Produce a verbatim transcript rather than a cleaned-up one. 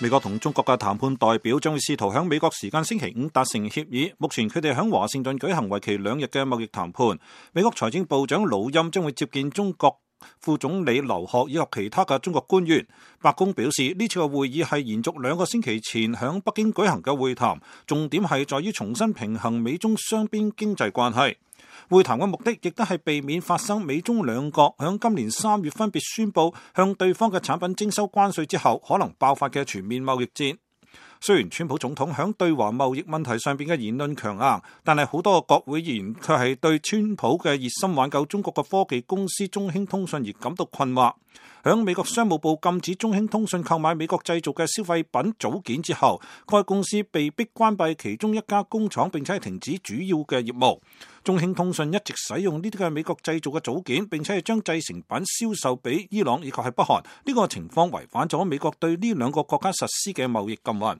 美國同中國嘅談判代表將會試圖喺美國時間星期五達成協議。目前佢哋喺華盛頓舉行為期兩日嘅貿易談判。美國財政部長魯欽將會接見中國副總理劉鶴以及其他嘅中國官員。白宮表示呢次嘅會議係延續兩個星期前喺北京舉行嘅會談，重點係在於重新平衡美中雙邊經濟關係。會談嘅目的亦都係避免發生美中兩國響今年三月分別宣布向對方嘅產品徵收關稅之後可能爆發嘅全面貿易戰。雖然川普總統響對華貿易問題上邊嘅言論強硬，但係好多個國會議員卻係對川普嘅熱心挽救中國嘅科技公司中興通訊而感到困惑。響美國商務部禁止中興通訊購買美國製造嘅消費品組件之後，該公司被迫關閉其中一家工廠，並且係停止主要嘅業務。中興通訊一直使用呢啲嘅美國製造嘅組件，並且係將製成品銷售俾伊朗以及係北韓。呢個情況違反咗美國對呢兩個國家實施嘅貿易禁運。